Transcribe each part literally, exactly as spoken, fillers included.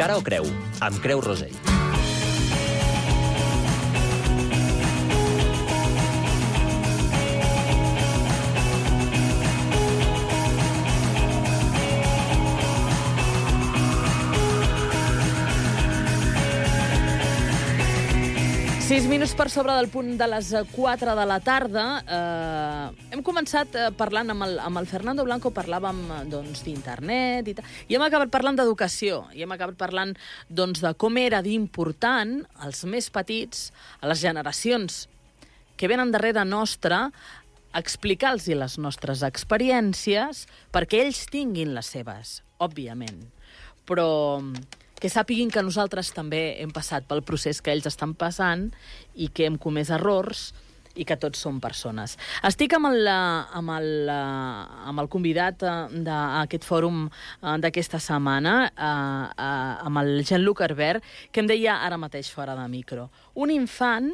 Cara o creu, amb Creu Rosell. Sis minuts per sobre del punt de les quatre de la tarda. Eh, hem començat parlant amb el, amb el Fernando Blanco, parlàvem doncs, d'internet i tal, i hem acabat parlant d'educació, i hem acabat parlant doncs, de com era d'important als més petits, a les generacions que venen darrere nostra, explicar-los les nostres experiències perquè ells tinguin les seves, òbviament. Però que sàpiguin que nosaltres també hem passat pel procés que ells estan passant i que hem comès errors i que tots som persones. Estic amb el, amb el, amb el convidat d'aquest fòrum d'aquesta setmana, amb el Jean-Luc Herbert, que em deia ara mateix fora de micro. Un infant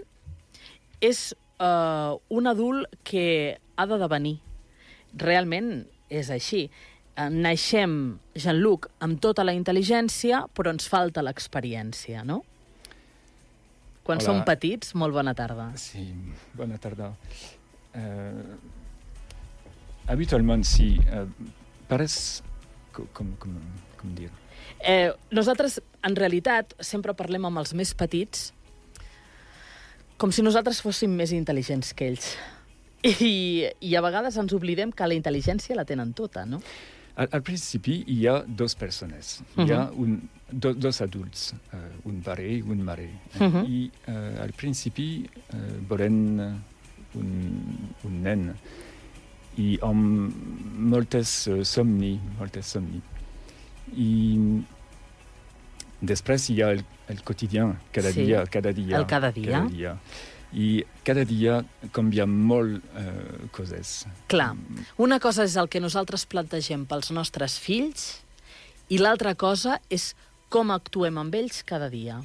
és uh, un adult que ha de devenir. Realment és així. Naixem, Jean-Luc, amb tota la intel·ligència, però ens falta l'experiència, no? Quan Hola. Som petits, molt bona tarda. Sí, bona tarda. Uh, habitualment, sí. Uh, pareix... Com, com, com dir? Eh, nosaltres, en realitat, sempre parlem amb els més petits com si nosaltres fóssim més intel·ligents que ells. I, i a vegades ens oblidem que la intel·ligència la tenen tota, no? Al, al principi hi ha dos persones. Uh-huh. Hi ha un, do, dos adults, uh, un pare i un mare. Uh-huh. I uh, al principi uh, volen un, un nen. I amb moltes uh, somni, moltes somni. I després hi ha el, el quotidien, cada sí. dia, cada dia. El cada dia. Cada dia. I cada dia canvia molt uh, coses. Clar, una cosa és el que nosaltres plantegem pels nostres fills i l'altra cosa és com actuem amb ells cada dia,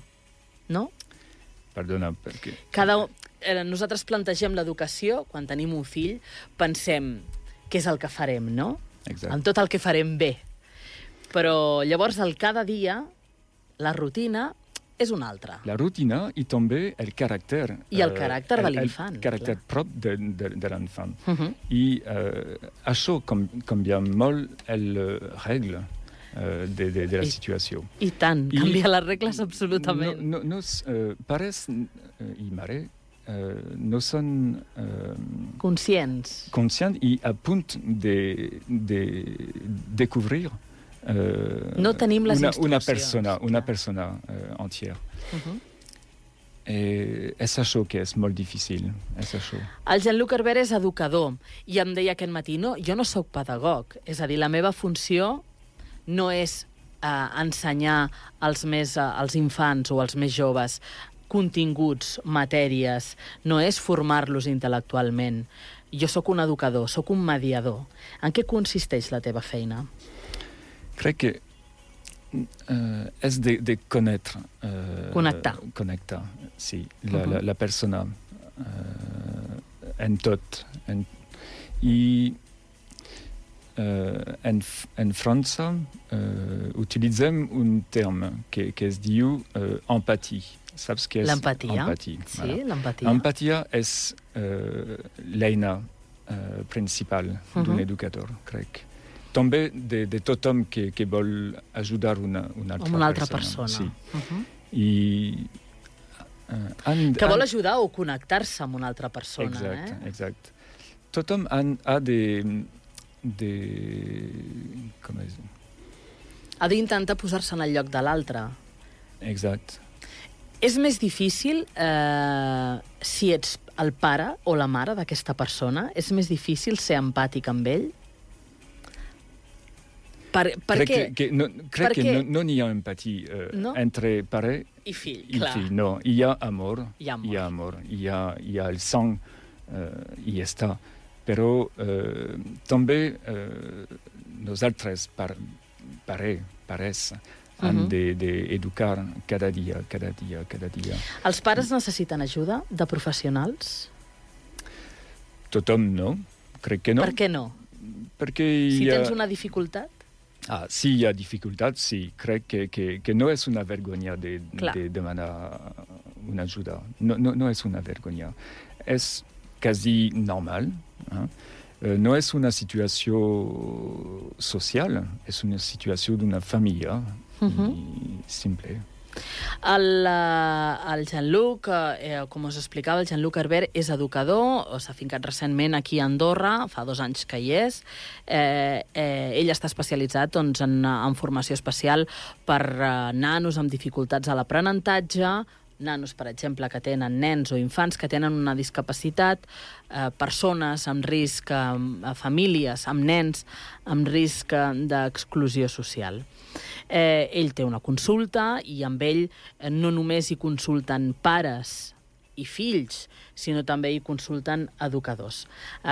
no? Perdona, perquè... Cada, eh, nosaltres plantegem l'educació, quan tenim un fill, pensem què és el que farem, no? Exacte. Amb tot el que farem bé. Però llavors el cada dia, la rutina, és una altra. La rutina i també el caràcter. I el caràcter uh, de l'infant. El caràcter clar. Prop de, de, de l'infant. Uh-huh. I uh, això com, canvia molt el regle uh, de, de, de la I, situació. I tant, I canvia les regles absolutament. No, no, nos uh, pares uh, i mare uh, no són uh, conscients. Conscients i a punt de, de descobrir Uh, no tenim les una, instruccions. Una persona, una persona uh, entiera. Uh-huh. Eh, és això que és molt difícil. És això. El Jean-Luc Herbert és educador i em deia aquest matí, no, jo no sóc pedagog. És a dir, la meva funció no és uh, ensenyar als, més, uh, als infants o als més joves continguts, matèries, no és formar-los intel·lectualment. Jo sóc un educador, sóc un mediador. En què consisteix la teva feina? Crec que uh, és de, de conèixer. Uh, connectar. Connectar, sí. La, uh-huh. la, la persona uh, en tot. En, I uh, en, en França uh, utilitzem un terme que, que es diu uh, empatia. Saps què és l'empatia? Empatia. Sí, voilà. l'empatia. Empatia és uh, l'eina uh, principal uh-huh. d'un educador, crec. També de, de tothom que, que vol ajudar una, una altra, una altra persona. persona. Sí. Uh-huh. I, uh, han, que vol han... ajudar o connectar-se amb una altra persona. Exacte, eh? exacte. Tothom han, ha de... de com és? Ha d'intentar posar-se en el lloc de l'altre. Exacte. És més difícil eh, si ets el pare o la mare d'aquesta persona? És més difícil ser empàtic amb ell? Per, per crec què? Que, que no, crec per que què? no, no n'hi ha empatia uh, no? entre pare i fill. I clar. fill. No, hi ha amor, hi ha amor, hi ha, amor, hi ha, hi ha el sang, uh, i ja està. Però uh, també uh, nosaltres, par, pare, pares, han uh-huh. d'educar de, de cada dia, cada dia, cada dia. Els pares necessiten ajuda de professionals? Tothom no, crec que no. Per què no? Perquè si hi ha... tens una dificultat? Ah, sí, hi ha dificultats, sí. Crec que, que, que no és una vergonya de, de demanar una ajuda. No, no, no és una vergonya. És quasi normal. Eh? Uh, no és una situació social, és una situació d'una família uh-huh. simple. El, el Jean-Luc, eh, com us explicava, el Jean-Luc Herbert és educador, s'ha fincat recentment aquí a Andorra, fa dos anys que hi és. Eh, eh, ell està especialitzat doncs, en, en formació especial per eh, nanos amb dificultats a l'aprenentatge, nanos, per exemple, que tenen nens o infants que tenen una discapacitat, eh, persones amb risc, eh, famílies amb nens amb risc d'exclusió social. Eh, ell té una consulta i amb ell eh, no només hi consulten pares i fills, sinó també hi consulten educadors. Eh,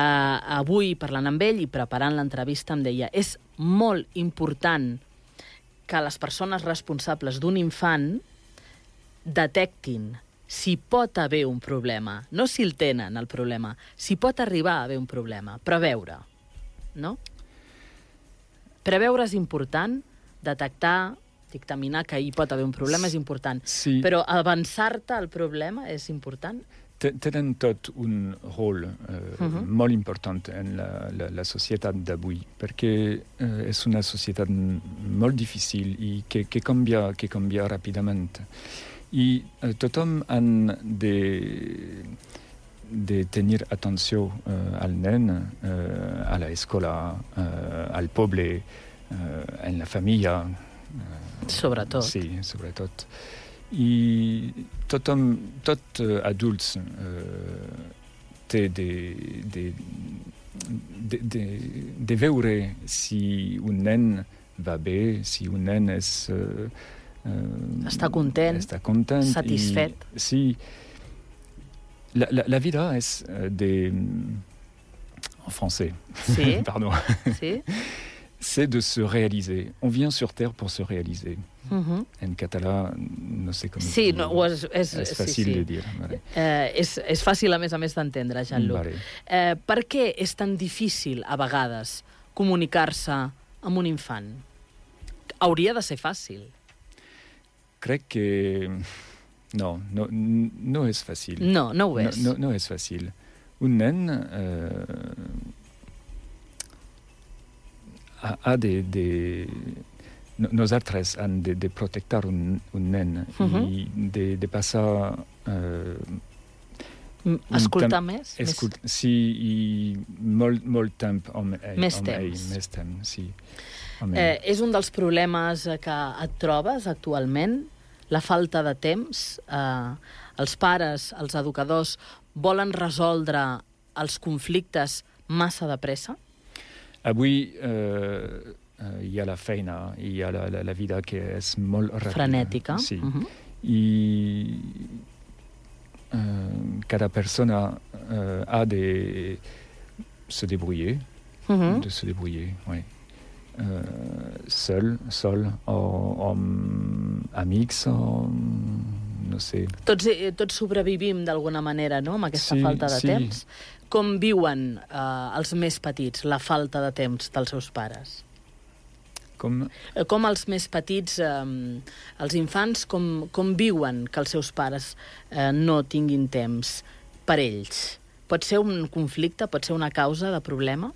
avui, parlant amb ell i preparant l'entrevista, em deia és molt important que les persones responsables d'un infant detectin si pot haver un problema, no si el tenen, el problema, si pot arribar a haver un problema, preveure, no? Preveure és important, detectar, dictaminar que hi pot haver un problema és important, sí. Però avançar-te al problema és important? Tenen tot un rol eh, uh-huh. molt important en la, la, la societat d'avui, perquè eh, és una societat molt difícil i que, que, canvia, que canvia ràpidament. I eh, tothom ha de, de tenir atenció eh, al nen, eh, a l'escola, eh, al poble, eh, en la família. Eh, sobretot. Sí, sobretot. I tothom, tot eh, adults eh, té de, de, de, de, de veure si un nen va bé, si un nen és... Eh, Uh, està content, està content satisfet. I, sí, la, la, la vida és uh, de... En français. Sí. Pardon. Sí. C'est de se réaliser. On vient sur Terre pour se réaliser. Uh-huh. En català, no sé com... Sí, no, és, és, és fàcil sí, sí. de dir. Vale. Eh, és, és fàcil, a més a més, d'entendre, Jean-Luc. Vale. Eh, per què és tan difícil, a vegades, comunicar-se amb un infant? Hauria de ser fàcil. Crec que no, no, no és fàcil. No, no ho és. No, no, no és fàcil. Un nen eh, ha, ha de, de... Nosaltres hem de, de protectar un, un nen uh-huh. i de, de passar... Eh, escoltar tem- més? Escult- més? Sí, i molt, molt temps amb ell. Més amb temps. Ell, més temps, sí. Eh, és un dels problemes que et trobes actualment, la falta de temps. Eh, els pares, els educadors, volen resoldre els conflictes massa de pressa? Avui eh, hi ha la feina, hi ha la, la, la vida que és molt ràpida. Frenètica. Sí. Uh-huh. I eh, cada persona eh, ha de se débrouiller, uh-huh. de se débrouiller, oui. Uh, seul, sol, o amb amics, o no sé. Tots, tots sobrevivim d'alguna manera, no?, amb aquesta sí, falta de sí. temps. Com viuen uh, els més petits la falta de temps dels seus pares? Com? Com els més petits, eh, els infants, com, com viuen que els seus pares eh, no tinguin temps per ells? Pot ser un conflicte, pot ser una causa de problema?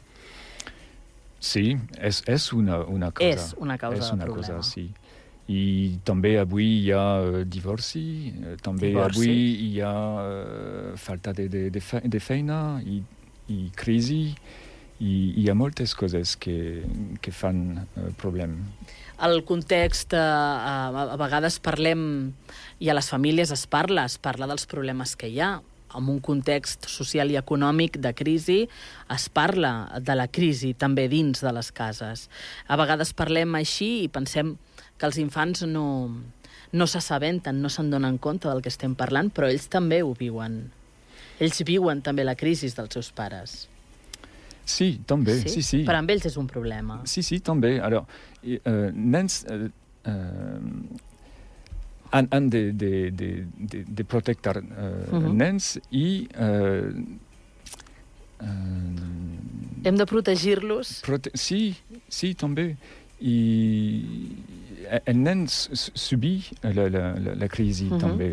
Sí, és, és una, una causa. És una causa és de una problema. Cosa, sí. I també avui hi ha uh, divorci, uh, també divorci. avui hi ha uh, falta de, de, de, fe, de feina i, i crisi, i hi ha moltes coses que, que fan uh, problem. El context, eh, a, a vegades parlem, i a les famílies es parla, es parla dels problemes que hi ha. En un context social i econòmic de crisi, es parla de la crisi també dins de les cases. A vegades parlem així i pensem que els infants no, no s'assabenten, no se'n donen compte del que estem parlant, però ells també ho viuen. Ells viuen també la crisi dels seus pares. Sí, també, sí, sí. sí. Per amb ells és un problema. Sí, sí, també. Alors, eh, nens... Eh, eh, han, han de, de, de, de, de protectar uh, uh-huh. nens i... Uh, uh, Hem de protegir-los? Prote- sí, sí, també. i el nen subí la, la, la, la crisi uh-huh. també,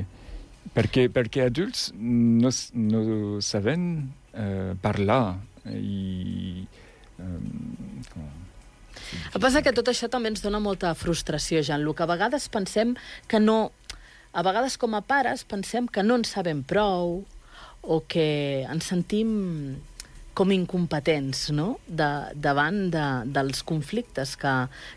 perquè, perquè adults no, no saben uh, parlar i... Um, El que passa que tot això també ens dona molta frustració, Jean-Luc. A vegades pensem que no... A vegades com a pares pensem que no ens sabem prou o que ens sentim com incompetents, no?, de, davant de, dels conflictes que,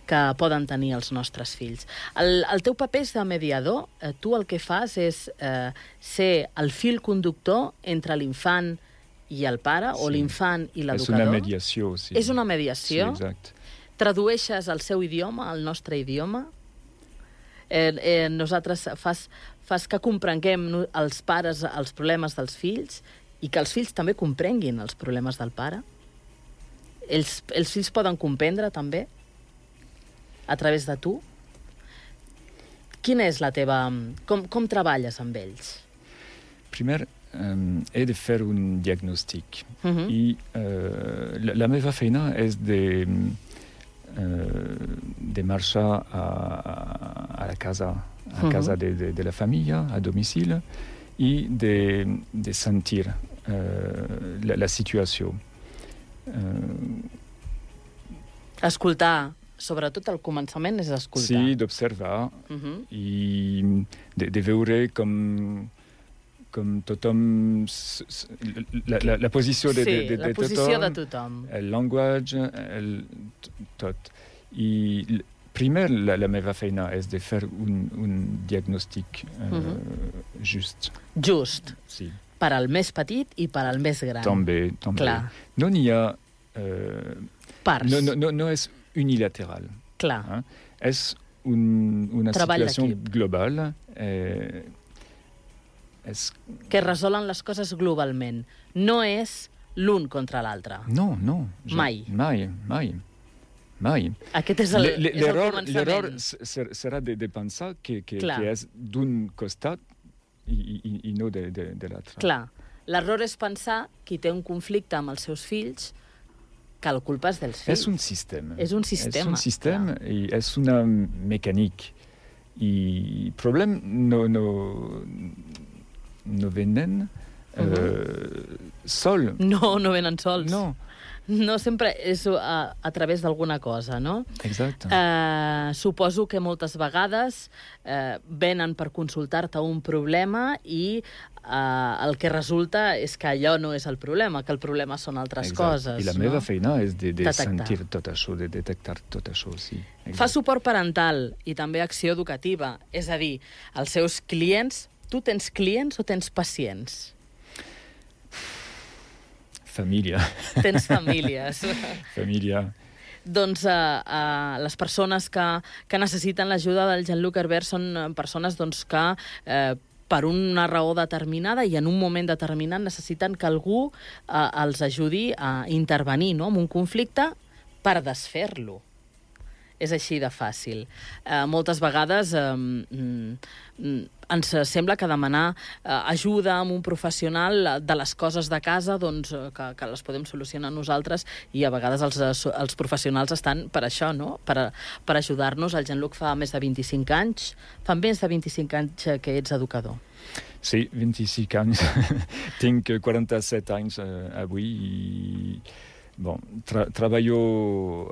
que poden tenir els nostres fills. El, el teu paper és de mediador. Eh, tu el que fas és eh, ser el fil conductor entre l'infant i el pare, sí. o l'infant i l'educador. És una mediació, sí. És una mediació? Sí, exacte. Tradueixes el seu idioma, el nostre idioma? Eh, eh, nosaltres fas, fas que comprenguem els pares els problemes dels fills i que els fills també comprenguin els problemes del pare? Els, els fills poden comprendre també a través de tu? Quina és la teva... Com, com treballes amb ells? Primer, um, he de fer un diagnòstic. Uh-huh. I uh, la, la meva feina és de... Uh, de marxar a, a la casa, a uh-huh. casa de, de, de la família, a domicili, i de, de sentir uh, la, la situació. Uh, escoltar, sobretot al començament és escoltar. Sí, d'observar uh-huh. i de, de veure com, com tothom... La, la, la posició de, sí, de, de, la de posició tothom, de tothom. El llenguatge, el, tot. I primer la, la meva feina és de fer un, un diagnòstic uh, uh-huh. just. Just. Sí. Per al més petit i per al més gran. També, també. Clar. No n'hi ha... Uh, Parts. No, no, no, no és unilateral. Clar. Eh? És un, una Treball situació d'equip. global. Eh, és... Que resolen les coses globalment. No és l'un contra l'altre. No, no. Jo, mai. Mai, mai. Mai. Aquest és el, és el començament. L'error serà de, de pensar que, que, que és d'un costat i, i, i no de, de, de l'altre. Clar. L'error és pensar qui té un conflicte amb els seus fills que la culpa és dels fills. És un sistema. És un sistema. És un sistema clar. I és una mecànica. I el problema no, no, no venen uh-huh. uh, sol. No, no venen sols. No. No sempre és a, a través d'alguna cosa, no? Exacte. Eh, suposo que moltes vegades eh, venen per consultar-te un problema i eh, el que resulta és que allò no és el problema, que el problema són altres Exacte. coses. I la no? meva feina és de, de detectar. sentir tot això, de detectar tot això, sí. Exacte. Fa suport parental i també acció educativa. És a dir, els seus clients... Tu tens clients o tens pacients? Família. Tens famílies. Família. Doncs uh, uh, les persones que, que necessiten l'ajuda del Jean-Luc Herbert són persones doncs, que uh, per una raó determinada i en un moment determinat necessiten que algú uh, els ajudi a intervenir, no?, en un conflicte per desfer-lo. És així de fàcil. Eh, moltes vegades eh, mm, ens sembla que demanar eh, ajuda amb un professional de les coses de casa, doncs, que, que les podem solucionar nosaltres, i a vegades els, els professionals estan per això, no?, per, per ajudar-nos. El Jean-Luc fa més de vint-i-cinc anys, fa més de vint-i-cinc anys que ets educador. Sí, vint-i-cinc anys. Tinc quaranta-set anys eh, avui i... Bon, tra treballo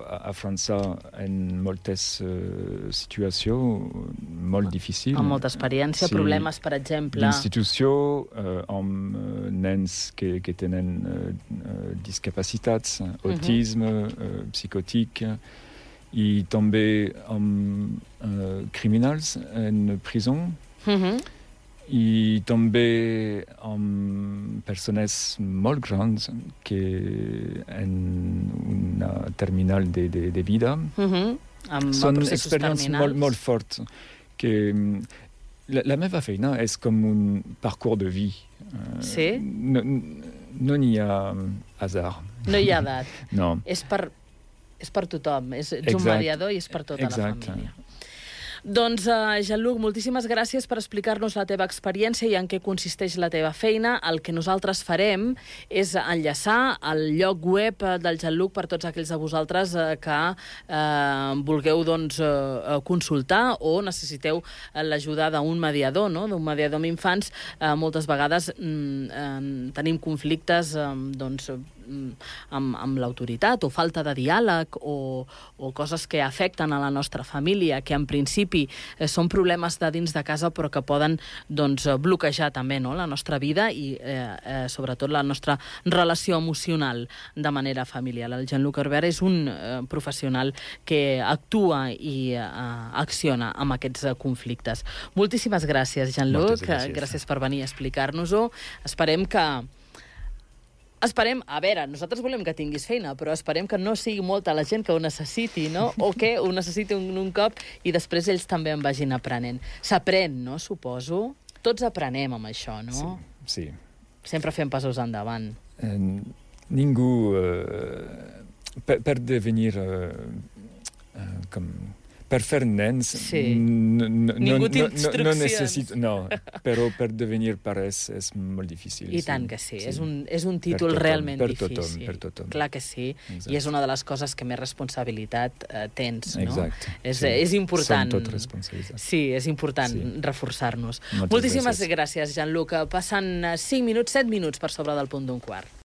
a, a França en moltes uh, situacions molt difícils. Amb molta experiència, sí. Problemes, per exemple... D'institució, uh, amb uh, nens que, que tenen uh, uh, discapacitats, uh-huh. autisme, uh, psicòtic, i també amb uh, criminals en presó. Uh-huh. I també amb persones molt grans que en una terminal de, de, de vida. Uh-huh. Amb són experiències molt, molt fortes. Que la, la meva feina és com un parcours de vie. Sí? No, no n'hi ha hasard. No hi ha edat. No. És per, és per tothom. És, ets Exacte. un mediador i és per tota Exacte. la família. Doncs, uh, Jean-Luc, moltíssimes gràcies per explicar-nos la teva experiència i en què consisteix la teva feina. El que nosaltres farem és enllaçar el lloc web del Jean-Luc per tots aquells de vosaltres uh, que uh, vulgueu doncs, uh, consultar o necessiteu l'ajuda d'un mediador, no? d'un mediador amb infants. Uh, moltes vegades mm, uh, tenim conflictes uh, doncs, amb, amb l'autoritat o falta de diàleg o, o coses que afecten a la nostra família, que en principi eh, són problemes de dins de casa però que poden doncs, bloquejar també no? la nostra vida i eh, eh, sobretot la nostra relació emocional de manera familiar. El Jean-Luc Herbert és un eh, professional que actua i eh, acciona amb aquests eh, conflictes. Moltíssimes gràcies, Jean-Luc. Gràcies. gràcies per venir a explicar-nos-ho. Esperem que Esperem, a veure, nosaltres volem que tinguis feina, però esperem que no sigui molta la gent que ho necessiti, no? O que ho necessiti un, un cop i després ells també en vagin aprenent. S'aprèn, no? Suposo. Tots aprenem amb això, no? Sí, sí. Sempre fem passos endavant. Eh, ningú, eh, per, per devenir eh, eh, com... Per fer nens, sí. no, no, Ningú té no, instruccions. No, no necessito, no, però per devenir pares és molt difícil. I sí. tant que sí, sí. És, un, és un títol tothom, realment per difícil. Tothom, per tothom. Clar que sí, exacte. I és una de les coses que més responsabilitat eh, tens, no? Exacte. És, sí. és important. Som tot responsabilitats. Sí, és important sí. reforçar-nos. Moltes Moltíssimes gràcies, gràcies Jean-Luc. Passen cinc minuts, set minuts per sobre del punt d'un quart.